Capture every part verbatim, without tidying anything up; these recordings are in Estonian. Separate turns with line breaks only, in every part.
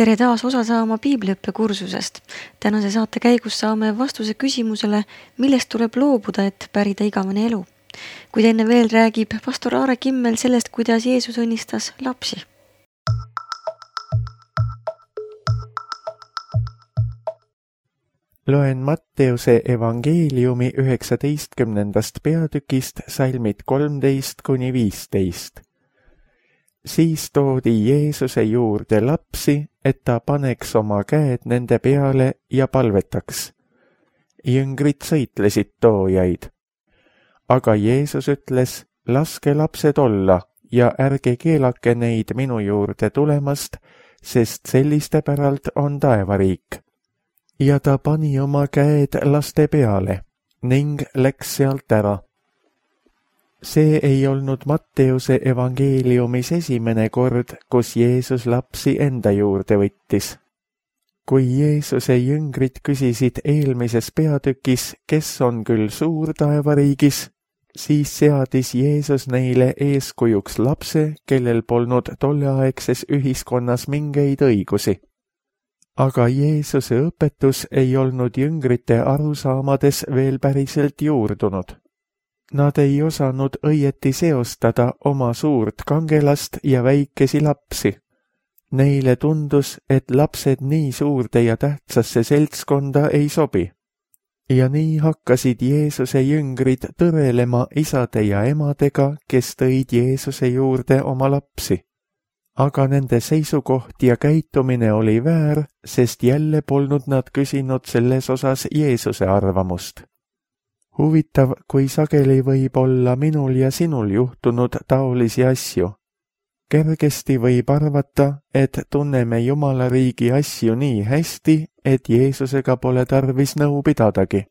Tere taas osa saama piibliõppe kursusest. Tänase saate käigus saame vastuse küsimusele, millest tuleb loobuda, et pärida igavene elu. Kuid enne veel räägib pastor Aare Kimmel sellest, kuidas Jeesus õnnistas lapsi.
Loen Matteuse evangeeliumi üheksateistkümnendast peatükist salmid kolmteist kuni viisteist. Siis toodi Jeesuse juurde lapsi, et ta paneks oma käed nende peale ja palvetaks. Jüngrid sõitlesid toojaid. Aga Jeesus ütles, laske lapsed olla ja ärge keelake neid minu juurde tulemast, sest selliste päralt on taevariik. Ja ta pani oma käed laste peale ning läks sealt ära. See ei olnud Matteuse evangeeliumis esimene kord, kus Jeesus lapsi enda juurde võttis. Kui Jeesuse jüngrid küsisid eelmises peatükis, kes on küll suur taevariigis, siis seadis Jeesus neile eeskujuks lapse, kellel polnud tolleaegses ühiskonnas mingeid õigusi. Aga Jeesuse õpetus ei olnud jüngrite arusaamades veel päriselt juurdunud. Nad ei osanud õieti seostada oma suurt kangelast ja väikesi lapsi. Neile tundus, et lapsed nii suurde ja tähtsasse seltskonda ei sobi. Ja nii hakkasid Jeesuse jüngrid tõrelema isade ja emadega, kes tõid Jeesuse juurde oma lapsi. Aga nende seisukoht ja käitumine oli väär, sest jälle polnud nad küsinud selles osas Jeesuse arvamust. Huvitav, kui sageli võib olla minul ja sinul juhtunud taolisi asju. Kergesti võib arvata, et tunneme Jumala riigi asju nii hästi, et Jeesusega pole tarvis nõu pidadagi.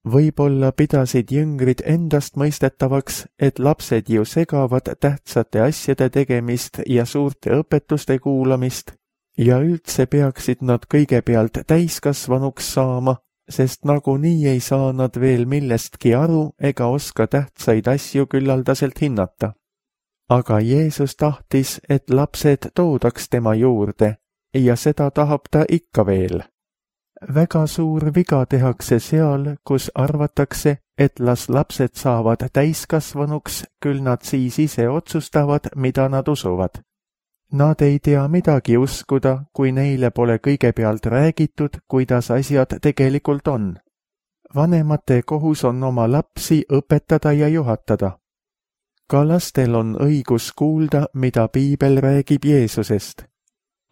Võib-olla pidasid jüngrid endast mõistetavaks, et lapsed ju segavad tähtsate asjade tegemist ja suurte õpetuste kuulamist ja üldse peaksid nad kõigepealt täiskasvanuks saama, sest nagunii ei saa nad veel millestki aru ega oska tähtsaid asju küllaldaselt hinnata. Aga Jeesus tahtis, et lapsed toodaks tema juurde ja seda tahab ta ikka veel. Väga suur viga tehakse seal, kus arvatakse, et las lapsed saavad täiskasvanuks, küll nad siis ise otsustavad, mida nad usuvad. Nad ei tea midagi uskuda, kui neile pole kõigepealt räägitud, kuidas asjad tegelikult on. Vanemate kohus on oma lapsi õpetada ja juhatada. Ka lastel on õigus kuulda, mida piibel räägib Jeesusest.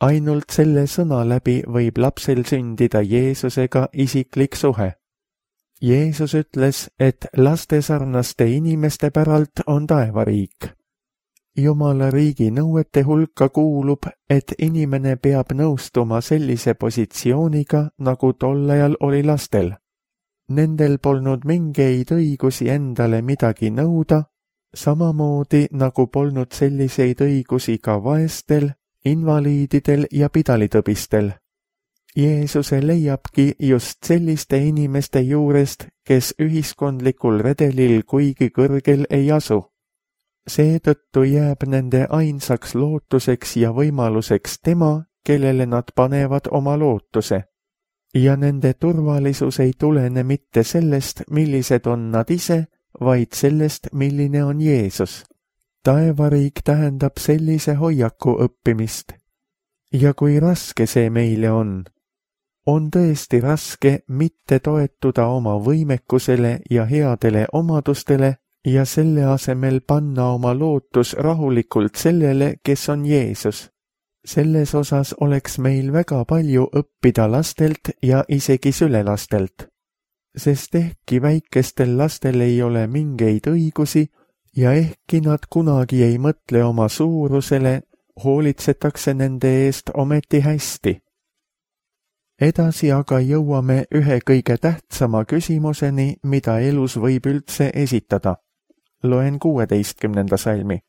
Ainult selle sõna läbi võib lapsel sündida Jeesusega isiklik suhe. Jeesus ütles, et laste sarnaste inimeste päralt on taevariik. Jumala riigi nõuete hulka kuulub, et inimene peab nõustuma sellise positsiooniga, nagu tol ajal oli lastel. Nendel polnud mingeid õigusi endale midagi nõuda, samamoodi nagu polnud selliseid õigusi ka vaestel, invaliididel ja pidalitõbistel. Jeesuse leiabki just selliste inimeste juurest, kes ühiskondlikul redelil kuigi kõrgel ei asu. Seetõttu jääb nende ainsaks lootuseks ja võimaluseks tema, kellele nad panevad oma lootuse. Ja nende turvalisus ei tulene mitte sellest, millised on nad ise, vaid sellest, milline on Jeesus. Taevariik tähendab sellise hoiaku õppimist. Ja kui raske see meile on? On tõesti raske mitte toetuda oma võimekusele ja headele omadustele ja selle asemel panna oma lootus rahulikult sellele, kes on Jeesus. Selles osas oleks meil väga palju õppida lastelt ja isegi sülelastelt. Sest ehkki väikestel lastel ei ole mingeid õigusi ja ehkki nad kunagi ei mõtle oma suurusele, hoolitsetakse nende eest ometi hästi. Edasi aga jõuame ühe kõige tähtsama küsimuseni, mida elus võib üldse esitada. Loen kuueteistkümnenda salmi.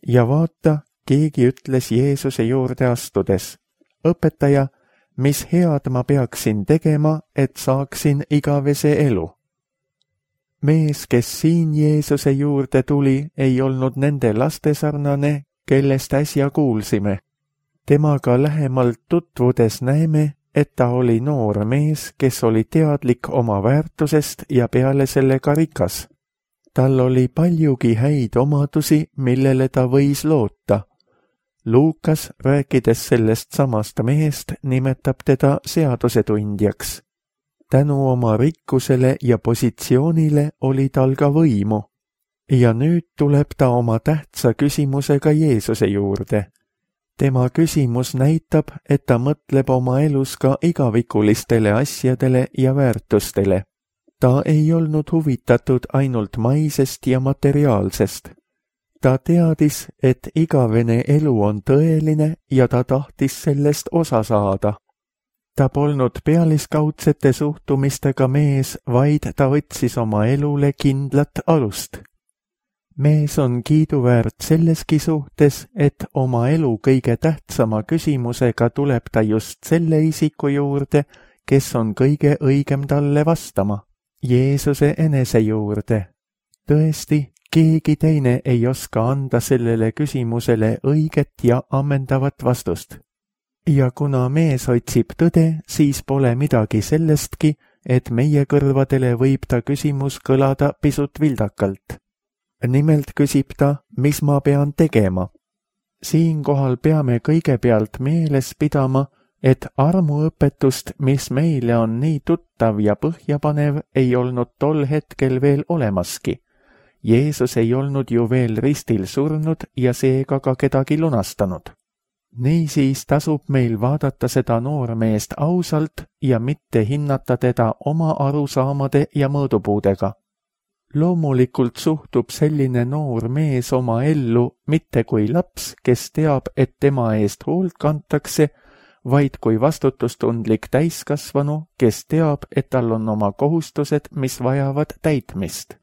Ja vaata, keegi ütles Jeesuse juurde astudes, õpetaja, mis head ma peaksin tegema, et saaksin igavese elu. Mees, kes siin Jeesuse juurde tuli, ei olnud nende laste sarnane, kellest äsja kuulsime. Temaga lähemalt tutvudes näeme, et ta oli noor mees, kes oli teadlik oma väärtusest ja peale selle ka rikas. Tal oli paljugi häid omadusi, millele ta võis loota. Luukas, rääkides sellest samast mehest, nimetab teda seadusetundjaks. Tänu oma rikkusele ja positsioonile oli tal ka võimu. Ja nüüd tuleb ta oma tähtsa küsimusega Jeesuse juurde. Tema küsimus näitab, et ta mõtleb oma elus ka igavikulistele asjadele ja väärtustele. Ta ei olnud huvitatud ainult maisest ja materiaalsest. Ta teadis, et igavene elu on tõeline ja ta tahtis sellest osa saada. Ta polnud pealiskaudsete suhtumistega mees, vaid ta võtsis oma elule kindlat alust. Mees on kiiduväärt selleski suhtes, et oma elu kõige tähtsama küsimusega tuleb ta just selle isiku juurde, kes on kõige õigem talle vastama, Jeesuse enese juurde. Tõesti, keegi teine ei oska anda sellele küsimusele õiget ja ammendavat vastust. Ja kuna mees otsib tõde, siis pole midagi sellestki, et meie kõrvadele võib ta küsimus kõlada pisut vildakalt. Nimelt küsib ta, mis ma pean tegema. Siinkohal peame kõigepealt meeles pidama, et armuõpetust, mis meile on nii tuttav ja põhjapanev, ei olnud tol hetkel veel olemaski. Jeesus ei olnud ju veel ristil surnud ja seega ka kedagi lunastanud. Niisiis tasub meil vaadata seda noormeest ausalt ja mitte hinnata teda oma arusaamade ja mõõdupuudega. Loomulikult suhtub selline noor mees oma ellu mitte kui laps, kes teab, et tema eest hoolt kantakse, vaid kui vastutustundlik täiskasvanu, kes teab, et tal on oma kohustused, mis vajavad täitmist.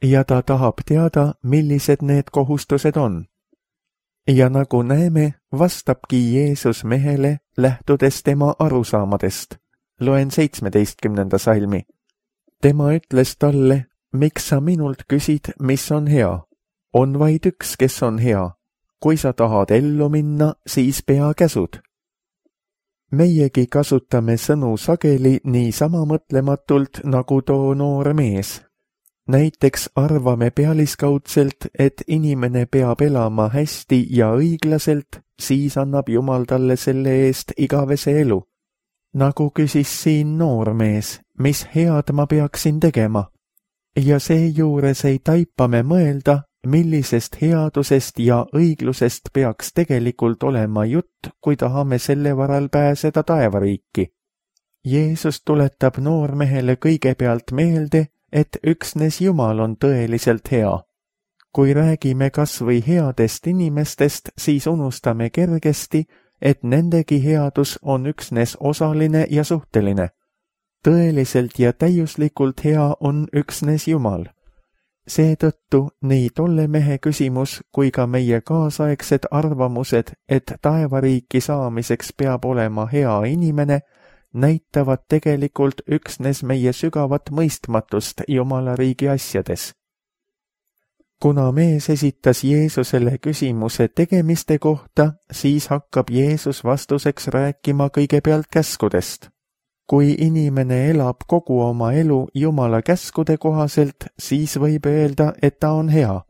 Ja ta tahab teada, millised need kohustused on. Ja nagu näeme, vastabki Jeesus mehele, lähtudes tema arusaamadest. Loen seitsmeteistkümnenda salmi. Tema ütles talle, miks sa minult küsid, mis on hea? On vaid üks, kes on hea. Kui sa tahad ellu minna, siis pea käsud. Meiegi kasutame sõnu sageli niisama mõtlematult nagu too noor mees. Näiteks arvame pealiskaudselt, et inimene peab elama hästi ja õiglaselt, siis annab Jumal talle selle eest igavese elu. Nagu küsis siin noor mees, mis head ma peaksin tegema? Ja seejuures ei taipa me mõelda, millisest headusest ja õiglusest peaks tegelikult olema jutt, kui tahame selle varal pääseda taevariiki. Jeesus tuletab noormehele kõigepealt meelde, et üksnes Jumal on tõeliselt hea. Kui räägime kas või headest inimestest, siis unustame kergesti, et nendegi headus on üksnes osaline ja suhteline. Tõeliselt ja täiuslikult hea on üksnes Jumal. Seetõttu nii tolle mehe küsimus kui ka meie kaasaegsed arvamused, et taevariiki saamiseks peab olema hea inimene, näitavad tegelikult üksnes meie sügavat mõistmatust Jumala riigi asjades. Kuna mees esitas Jeesusele küsimuse tegemiste kohta, siis hakkab Jeesus vastuseks rääkima kõigepealt käskudest. Kui inimene elab kogu oma elu Jumala käskude kohaselt, siis võib öelda, et ta on hea.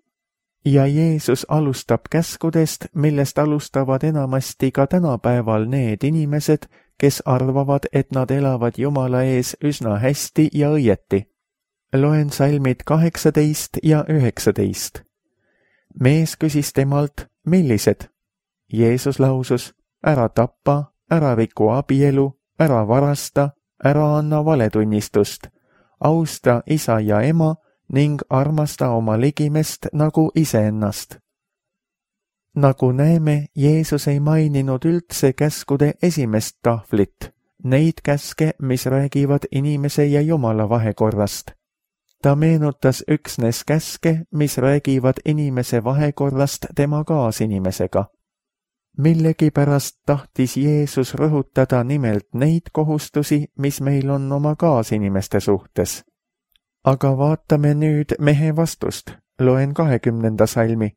Ja Jeesus alustab käskudest, millest alustavad enamasti ka tänapäeval need inimesed, kes arvavad, et nad elavad Jumala ees üsna hästi ja õieti. Loen salmid kaheksateist ja üheksateist. Mees küsis temalt, millised? Jeesus lausus, ära tappa, ära riku abielu, ära varasta, ära anna valetunnistust, austa isa ja ema ning armasta oma ligimest nagu iseennast. Nagu näeme, Jeesus ei maininud üldse käskude esimest tahvlit, neid käske, mis räägivad inimese ja Jumala vahekorrast. Ta meenutas üksnes käske, mis räägivad inimese vahekorrast tema kaasinimesega. Millegipärast tahtis Jeesus rõhutada nimelt neid kohustusi, mis meil on oma kaasinimeste suhtes. Aga vaatame nüüd mehe vastust. Loen kahekümnenda salmi.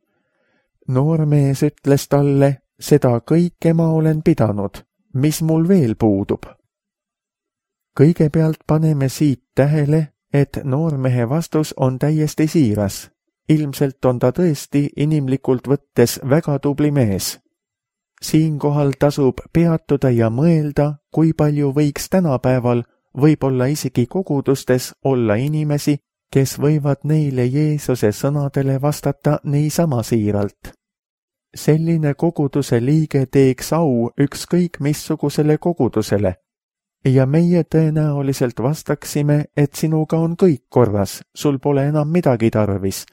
Noormees ütles talle, seda kõike ma olen pidanud, mis mul veel puudub. Kõigepealt paneme siit tähele, et noormehe vastus on täiesti siiras. Ilmselt on ta tõesti inimlikult võttes väga tubli mees. Siinkohal tasub peatuda ja mõelda, kui palju võiks tänapäeval, võib-olla isegi kogudustes olla inimesi, kes võivad neile Jeesuse sõnadele vastata niisama siiralt. Selline koguduse liige teeks au ükskõik missugusele kogudusele ja meie tõenäoliselt vastaksime, et sinuga on kõik korras, sul pole enam midagi tarvis.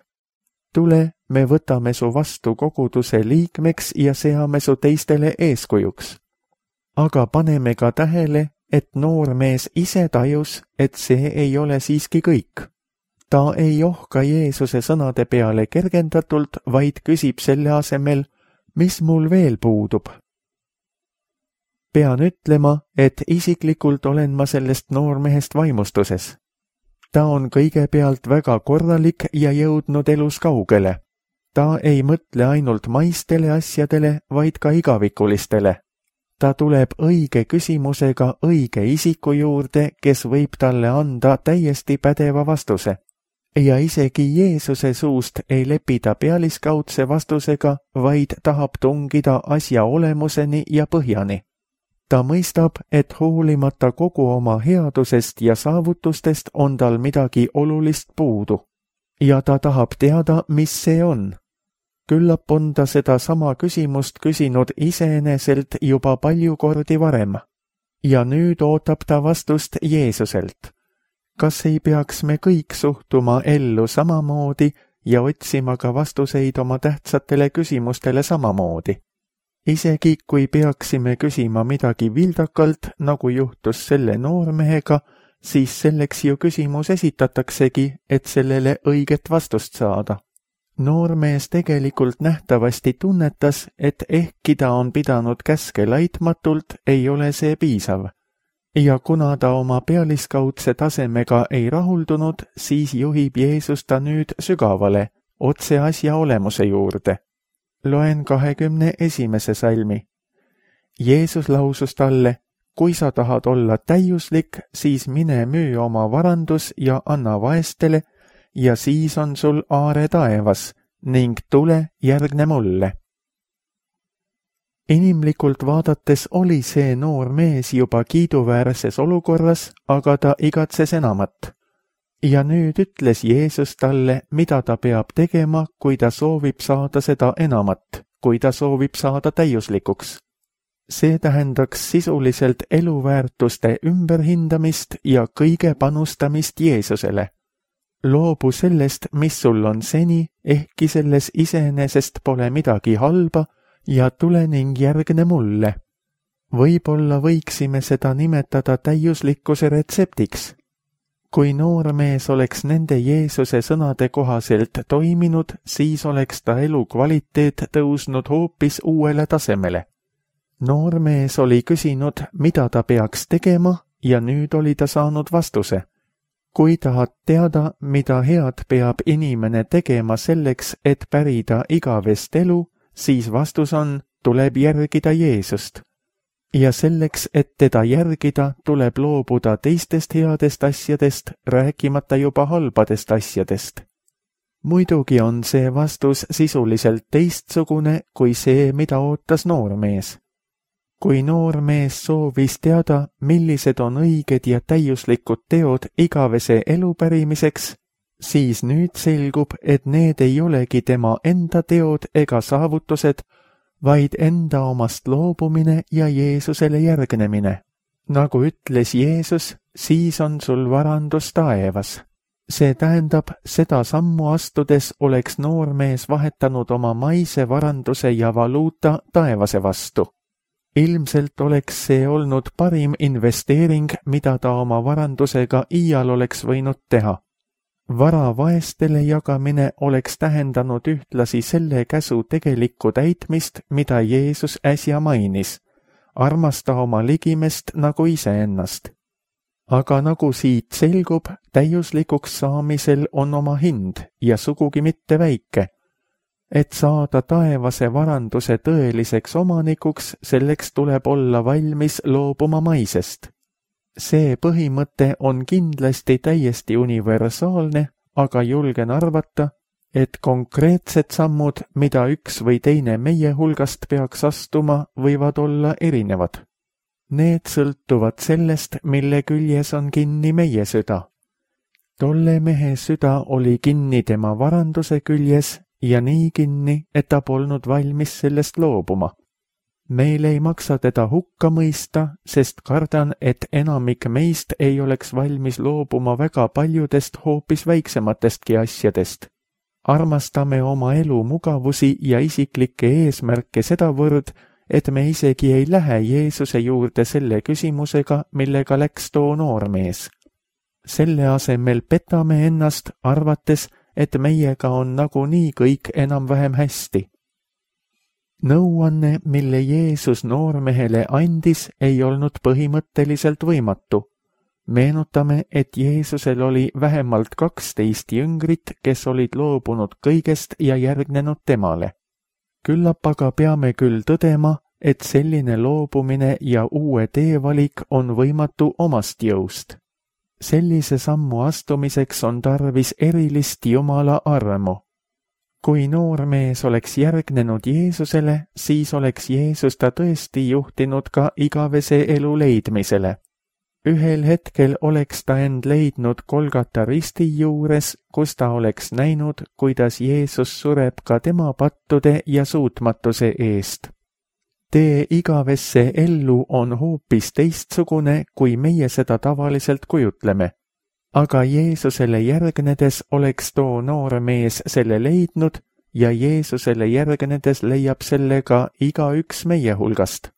Tule, me võtame su vastu koguduse liikmeks ja seame su teistele eeskujuks. Aga paneme ka tähele, et noormees ise tajus, et see ei ole siiski kõik. Ta ei ohka Jeesuse sõnade peale kergendatult, vaid küsib selle asemel, mis mul veel puudub. Pean ütlema, et isiklikult olen ma sellest noormehest vaimustuses. Ta on kõigepealt väga korralik ja jõudnud elus kaugele. Ta ei mõtle ainult maistele asjadele, vaid ka igavikulistele. Ta tuleb õige küsimusega õige isiku juurde, kes võib talle anda täiesti pädeva vastuse. Ja isegi Jeesuse suust ei lepi ta pealiskaudse vastusega, vaid tahab tungida asja olemuseni ja põhjani. Ta mõistab, et hoolimata kogu oma headusest ja saavutustest on tal midagi olulist puudu. Ja ta tahab teada, mis see on. Küllap on ta seda sama küsimust küsinud iseeneselt juba palju kordi varem. Ja nüüd ootab ta vastust Jeesuselt. Kas ei peaks me kõik suhtuma ellu samamoodi ja otsima ka vastuseid oma tähtsatele küsimustele samamoodi? Isegi kui peaksime küsima midagi vildakalt, nagu juhtus selle noormehega, siis selleks ju küsimus esitataksegi, et sellele õiget vastust saada. Noormees tegelikult nähtavasti tunnetas, et ehkki ta on pidanud käske laitmatult, ei ole see piisav. Ja kuna ta oma pealiskaudse tasemega ei rahuldunud, siis juhib Jeesus ta nüüd sügavale, otse asja olemuse juurde. Loen kahekümne esimese salmi. Jeesus lausus talle, kui sa tahad olla täiuslik, siis mine müü oma varandus ja anna vaestele, ja siis on sul aare taevas, ning tule järgne mulle. Inimlikult vaadates oli see noor mees juba kiiduväärses olukorras, aga ta igatses enamat. Ja nüüd ütles Jeesus talle, mida ta peab tegema, kui ta soovib saada seda enamat, kui ta soovib saada täiuslikuks. See tähendaks sisuliselt eluväärtuste ümberhindamist ja kõige panustamist Jeesusele. Loobu sellest, mis sul on seni, ehkki selles iseenesest pole midagi halba, ja tule ning järgne mulle. Võib-olla võiksime seda nimetada täiuslikkuse retseptiks. Kui noormees oleks nende Jeesuse sõnade kohaselt toiminud, siis oleks ta elu kvaliteet tõusnud hoopis uuele tasemele. Noormees oli küsinud, mida ta peaks tegema, ja nüüd oli ta saanud vastuse. Kui tahad teada, mida head peab inimene tegema selleks, et pärida igavest elu, siis vastus on, tuleb järgida Jeesust. Ja selleks, et teda järgida, tuleb loobuda teistest headest asjadest, rääkimata juba halbadest asjadest. Muidugi on see vastus sisuliselt teistsugune kui see, mida ootas noormees. Kui noormees soovis teada, millised on õiged ja täiuslikud teod igavese elu pärimiseks, siis nüüd selgub, et need ei olegi tema enda teod ega saavutused, vaid enda omast loobumine ja Jeesusele järgnemine. Nagu ütles Jeesus, siis on sul varandus taevas. See tähendab, seda sammu astudes oleks noormees vahetanud oma maise varanduse ja valuuta taevase vastu. Ilmselt oleks see olnud parim investeering, mida ta oma varandusega iial oleks võinud teha. Vara vaestele jagamine oleks tähendanud ühtlasi selle käsu tegelikku täitmist, mida Jeesus äsja mainis. Armasta oma ligimest nagu iseennast. Aga nagu siit selgub, täiuslikuks saamisel on oma hind ja sugugi mitte väike. et saada taevase varanduse tõeliseks omanikuks, selleks tuleb olla valmis loobuma maisest. See põhimõte on kindlasti täiesti universaalne, aga julgen arvata, et konkreetsed sammud, mida üks või teine meie hulgast peaks astuma, võivad olla erinevad. Need sõltuvad sellest, mille küljes on kinni meie süda. Tolle mehe süda oli kinni tema varanduse küljes ja nii kinni, et ta polnud valmis sellest loobuma. Meil ei maksa teda hukka mõista, sest kardan, et enamik meist ei oleks valmis loobuma väga paljudest hoopis väiksematestki asjadest. Armastame oma elu mugavusi ja isiklikke eesmärke sedavõrd, et me isegi ei lähe Jeesuse juurde selle küsimusega, millega läks too noormees. Selle asemel petame ennast, arvates, et meiega on nagunii kõik enam-vähem hästi. Nõuanne, mille Jeesus noormehele andis, ei olnud põhimõtteliselt võimatu. Meenutame, et Jeesusel oli vähemalt kaksteist jüngrit, kes olid loobunud kõigest ja järgnenud temale. Küllap aga peame küll tõdema, et selline loobumine ja uue teevalik on võimatu omast jõust. Sellise sammu astumiseks on tarvis erilist Jumala armu. Kui noormees oleks järgnenud Jeesusele, siis oleks Jeesus ta tõesti juhtinud ka igavese elu leidmisele. Ühel hetkel oleks ta end leidnud Golgata risti juures, kus ta oleks näinud, kuidas Jeesus sureb ka tema pattude ja suutmatuse eest. Tee igavesse ellu on hoopis teistsugune, kui meie seda tavaliselt kujutleme. Aga Jeesusele järgnedes oleks too noormees selle leidnud ja Jeesusele järgnedes leiab selle ka igaüks meie hulgast.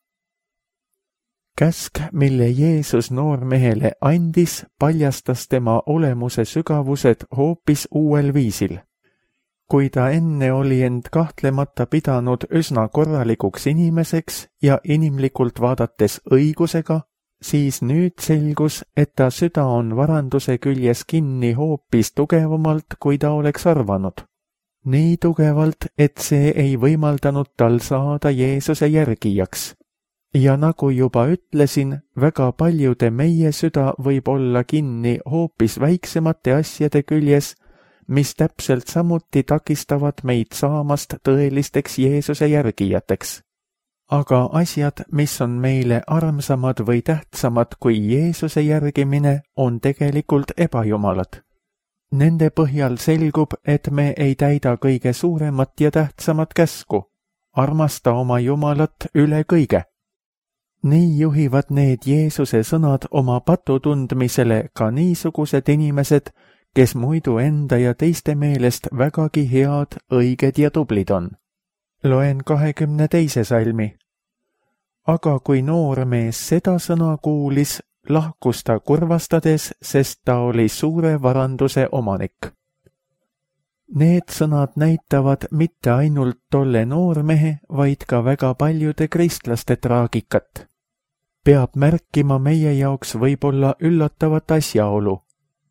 Käsk, mille Jeesus noormehele andis, paljastas tema olemuse sügavused hoopis uuel viisil. Kui ta enne oli end kahtlemata pidanud üsna korralikuks inimeseks ja inimlikult vaadates õigusega, siis nüüd selgus, et ta süda on varanduse küljes kinni hoopis tugevamalt, kui ta oleks arvanud. Nii tugevalt, et see ei võimaldanud tal saada Jeesuse järgijaks. Ja nagu juba ütlesin, väga paljude meie süda võib olla kinni hoopis väiksemate asjade küljes, mis täpselt samuti takistavad meid saamast tõelisteks Jeesuse järgijateks. Aga asjad, mis on meile armsamad või tähtsamad kui Jeesuse järgimine, on tegelikult ebajumalad. Nende põhjal selgub, et me ei täida kõige suuremat ja tähtsamat käsku. Armasta oma Jumalat üle kõige. Nii juhivad need Jeesuse sõnad oma patu tundmisele ka niisugused inimesed, kes muidu enda ja teiste meelest vägagi head, õiged ja tublid on. Loen kahekümne teise salmi. Aga kui noormees seda sõna kuulis, lahkus ta kurvastades, sest ta oli suure varanduse omanik. Need sõnad näitavad mitte ainult tolle noormehe, vaid ka väga paljude kristlaste traagikat. Peab märkima meie jaoks võib-olla üllatavat asjaolu.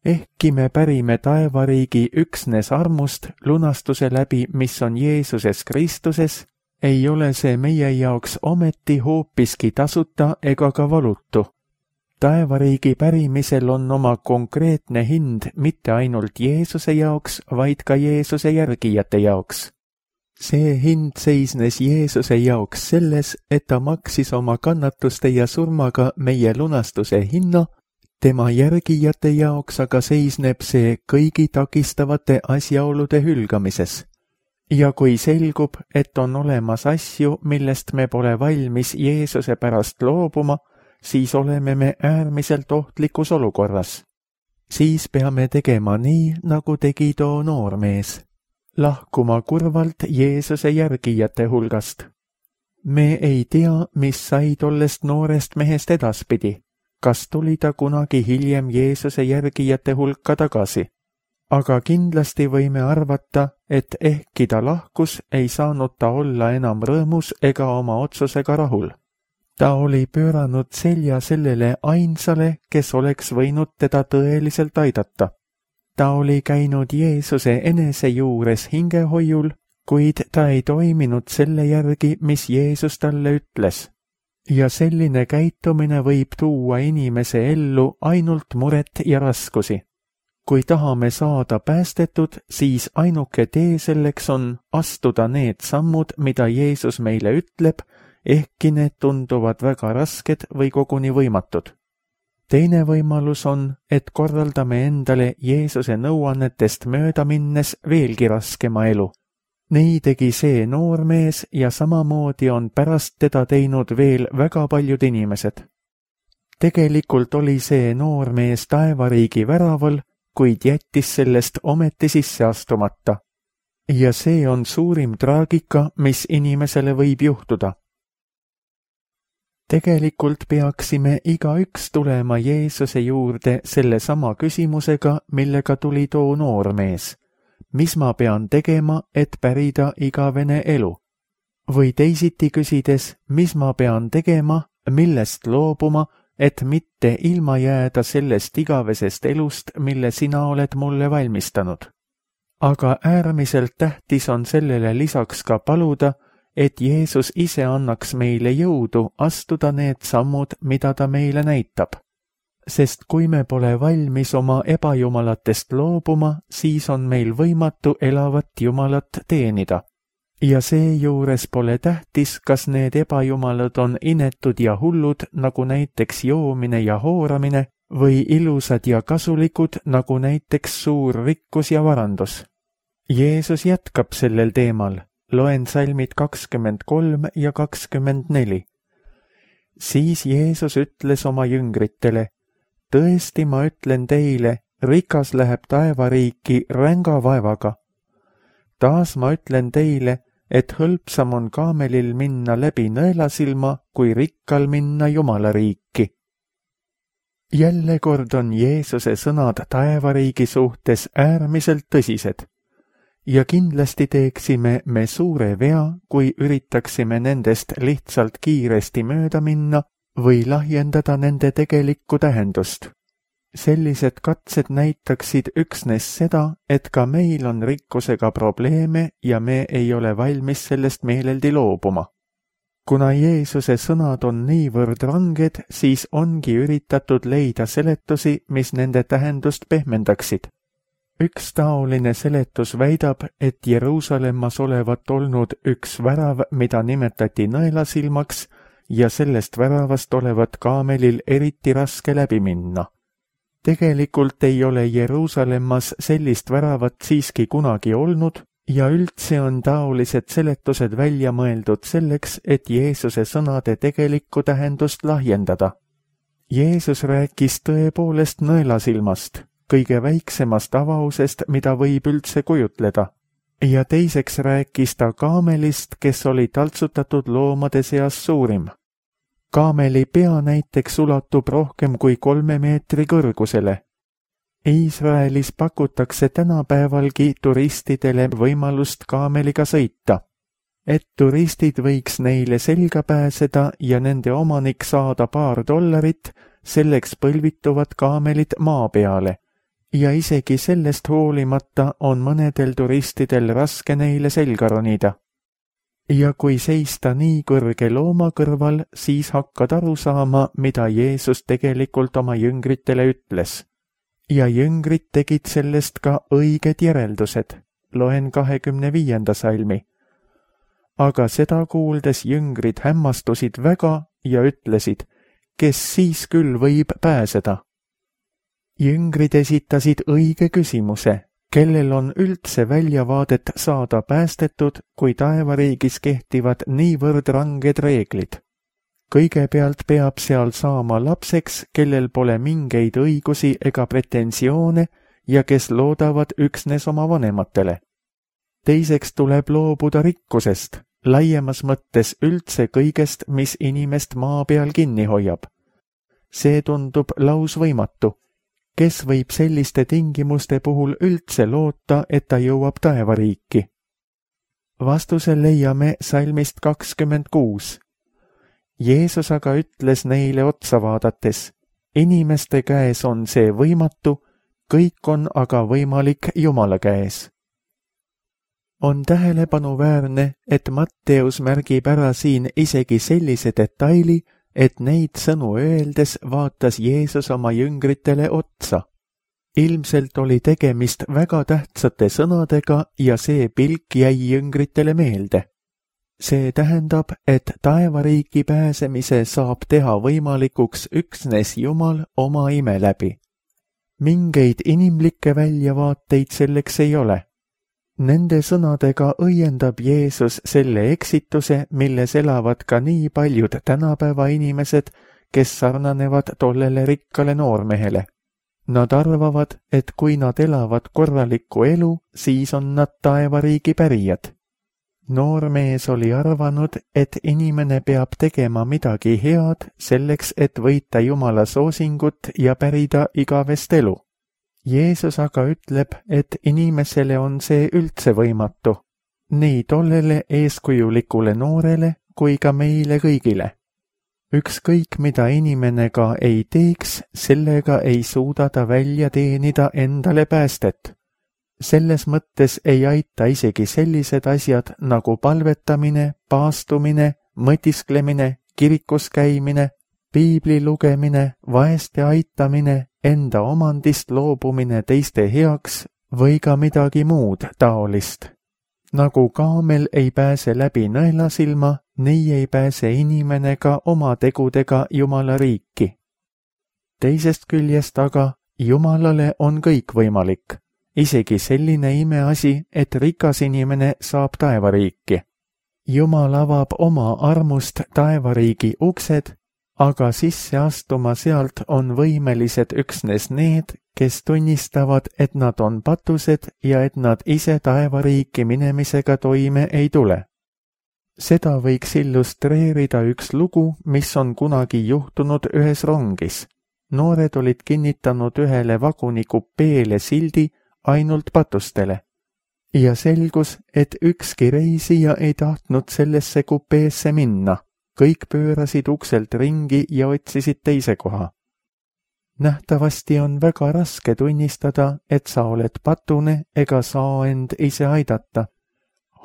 Ehkki me pärime taevariigi üksnes armust lunastuse läbi, mis on Jeesuses Kristuses, ei ole see meie jaoks ometi hoopiski tasuta ega ka valutu. Taevariigi pärimisel on oma konkreetne hind mitte ainult Jeesuse jaoks, vaid ka Jeesuse järgijate jaoks. See hind seisnes Jeesuse jaoks selles, et ta maksis oma kannatuste ja surmaga meie lunastuse hinna, tema järgijate jaoks aga seisneb see kõigi takistavate asjaolude hülgamises. Ja kui selgub, et on olemas asju, millest me pole valmis Jeesuse pärast loobuma, siis oleme me äärmiselt ohtlikus olukorras. Siis peame tegema nii, nagu tegi too noormees. Lahkuma kurvalt Jeesuse järgijate hulgast. Me ei tea, mis sai tollest noorest mehest edaspidi. Kas tuli ta kunagi hiljem Jeesuse järgijate hulka tagasi? Aga kindlasti võime arvata, et ehkki ta lahkus, ei saanud ta olla enam rõõmus ega oma otsusega rahul. Ta oli pööranud selja sellele ainsale, kes oleks võinud teda tõeliselt aidata. Ta oli käinud Jeesuse enese juures hingehoiul, kuid ta ei toiminud selle järgi, mis Jeesus talle ütles. Ja selline käitumine võib tuua inimese ellu ainult muret ja raskusi. Kui tahame saada päästetud, siis ainuke tee selleks on astuda need sammud, mida Jeesus meile ütleb, ehkki need tunduvad väga rasked või koguni võimatud. Teine võimalus on, et korraldame endale Jeesuse nõuannetest mööda minnes veelgi raskema elu. Nii tegi see noormees ja samamoodi on pärast teda teinud veel väga paljud inimesed. Tegelikult oli see noormees taevariigi väraval, kuid jättis sellest ometi sisse astumata. Ja see on suurim traagika, mis inimesele võib juhtuda. Tegelikult peaksime igaüks tulema Jeesuse juurde selle sama küsimusega, millega tuli too noormees. Mis ma pean tegema, et pärida igavene elu? Või teisiti küsides, mis ma pean tegema, millest loobuma, et mitte ilma jääda sellest igavesest elust, mille sina oled mulle valmistanud. Aga äärmiselt tähtis on sellele lisaks ka paluda, et Jeesus ise annaks meile jõudu astuda need sammud, mida ta meile näitab. Sest kui me pole valmis oma ebajumalatest loobuma, siis on meil võimatu elavat Jumalat teenida. Ja seejuures pole tähtis, kas need ebajumalad on inetud ja hullud, nagu näiteks joomine ja hooramine, või ilusad ja kasulikud, nagu näiteks suur rikkus ja varandus. Jeesus jätkab sellel teemal. Loen salmid kakskümmend kolm ja kakskümmend neli. Siis Jeesus ütles oma jüngritele, tõesti ma ütlen teile, rikas läheb taevariiki ränga vaevaga. Taas ma ütlen teile, et hõlpsam on kaamelil minna läbi nõelasilma, kui rikkal minna Jumala riiki. Jälle kord on Jeesuse sõnad taevariigi suhtes äärmiselt tõsised. Ja kindlasti teeksime me suure vea, kui üritaksime nendest lihtsalt kiiresti mööda minna või lahjendada nende tegelikku tähendust. Sellised katsed näitaksid üksnes seda, et ka meil on rikkusega probleeme ja me ei ole valmis sellest meeleldi loobuma. Kuna Jeesuse sõnad on niivõrd ranged, siis ongi üritatud leida seletusi, mis nende tähendust pehmendaksid. Üks taoline seletus väidab, et Jeruusalemmas olevat olnud üks värav, mida nimetati nõelasilmaks, ja sellest väravast olevat kaamelil eriti raske läbi minna. Tegelikult ei ole Jeruusalemmas sellist väravat siiski kunagi olnud ja üldse on taolised seletused välja mõeldud selleks, et Jeesuse sõnade tegelikku tähendust lahjendada. Jeesus rääkis tõepoolest nõelasilmast, kõige väiksemast avausest, mida võib üldse kujutleda. Ja teiseks rääkis ta kaamelist, kes oli taltsutatud loomade seas suurim. Kaameli pea näiteks ulatub rohkem kui kolme meetri kõrgusele. Iisraelis pakutakse tänapäevalgi turistidele võimalust kaameliga sõita, et turistid võiks neile selga pääseda ja nende omanik saada paar dollarit, selleks põlvituvad kaamelid maa peale. Ja isegi sellest hoolimata on mõnedel turistidel raske neile selga ronida. Ja kui seista nii kõrge looma kõrval, siis hakkad aru saama, mida Jeesus tegelikult oma jüngritele ütles. Ja jüngrid tegid sellest ka õiged järeldused. Loen kahekümne viienda salmi. Aga seda kuuldes jüngrid hämmastusid väga ja ütlesid, kes siis küll võib pääseda. Jüngrid esitasid õige küsimuse. Kellel on üldse väljavaadet saada päästetud, kui taevariigis kehtivad niivõrd ranged reeglid? Kõigepealt peab seal saama lapseks, kellel pole mingeid õigusi ega pretensioone ja kes loodavad üksnes oma vanematele. Teiseks tuleb loobuda rikkusest, laiemas mõttes üldse kõigest, mis inimest maa peal kinni hoiab. See tundub lausvõimatu. Kes võib selliste tingimuste puhul üldse loota, et ta jõuab taevariiki? Vastuse leiame salmist kakskümmend kuus. Jeesus aga ütles neile otsa vaadates, inimeste käes on see võimatu, kõik on aga võimalik Jumala käes. On tähelepanuväärne, et Matteus märgib ära siin isegi sellise detaili, et neid sõnu öeldes vaatas Jeesus oma jüngritele otsa. Ilmselt oli tegemist väga tähtsate sõnadega ja see pilk jäi jüngritele meelde. See tähendab, et taevariiki pääsemise saab teha võimalikuks üksnes Jumal oma ime läbi. Mingeid inimlikke väljavaateid selleks ei ole. Nende sõnadega õiendab Jeesus selle eksituse, milles elavad ka nii paljud tänapäeva inimesed, kes sarnanevad tollele rikkale noormehele. Nad arvavad, et kui nad elavad korralikku elu, siis on nad taevariigi pärijad. Noormees oli arvanud, et inimene peab tegema midagi head selleks, et võita Jumala soosingut ja pärida igavest elu. Jeesus aga ütleb, et inimesele on see üldse võimatu, nii tollele eeskujulikule noorele kui ka meile kõigile. Ükskõik, mida inimene ka ei teeks, sellega ei suuda ta välja teenida endale päästet. Selles mõttes ei aita isegi sellised asjad nagu palvetamine, paastumine, mõtisklemine, kirikus käimine, piibli lugemine, vaeste aitamine, enda omandist loobumine teiste heaks või ka midagi muud taolist. Nagu kaamel ei pääse läbi nõelasilma, nii ei pääse inimene ka oma tegudega Jumala riiki. Teisest küljest aga Jumalale on kõik võimalik. Isegi selline imeasi, et rikas inimene saab taevariiki. Jumal avab oma armust taevariigi uksed, aga sisse astuma sealt on võimelised üksnes need, kes tunnistavad, et nad on patused ja et nad ise taevariiki minemisega toime ei tule. Seda võiks illustreerida üks lugu, mis on kunagi juhtunud ühes rongis. Noored olid kinnitanud ühele vaguni kupeele sildi ainult patustele. Ja selgus, et ükski reisija ei tahtnud sellesse kupeesse minna. Kõik pöörasid ukselt ringi ja otsisid teise koha. Nähtavasti on väga raske tunnistada, et sa oled patune ega saa end ise aidata.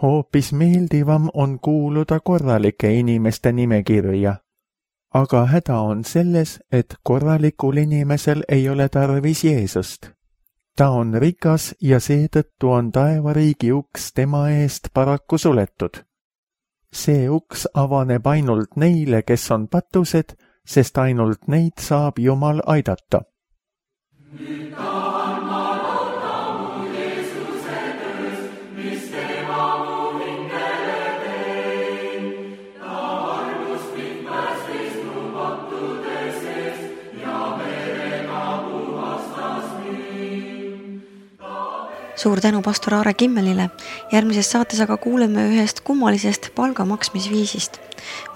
Hoopis meeldivam on kuuluda korralike inimeste nimekirja. Aga häda on selles, et korralikul inimesel ei ole tarvis Jeesust. Ta on rikas ja seetõttu on taevariigi uks tema eest paraku suletud. See uks avaneb ainult neile, kes on patused, sest ainult neid saab Jumal aidata.
Suur tänu pastor Aare Kimmelile. Järgmises saates aga kuuleme ühest kummalisest palgamaksmisviisist.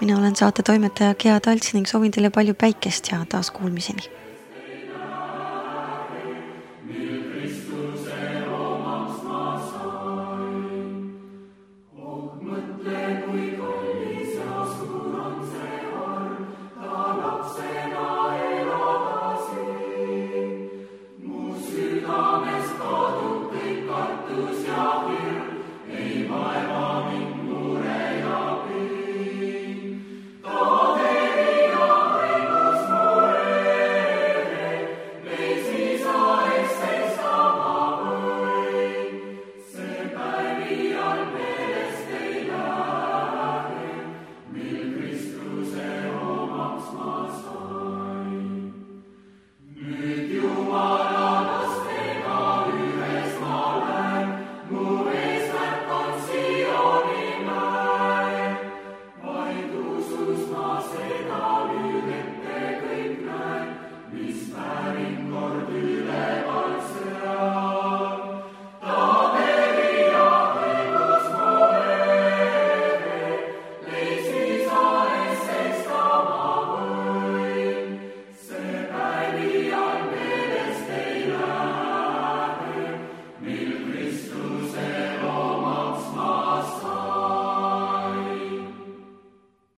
Mina olen saate toimetaja Gea Talts ning soovin teile palju päikest ja taas kuulmiseni.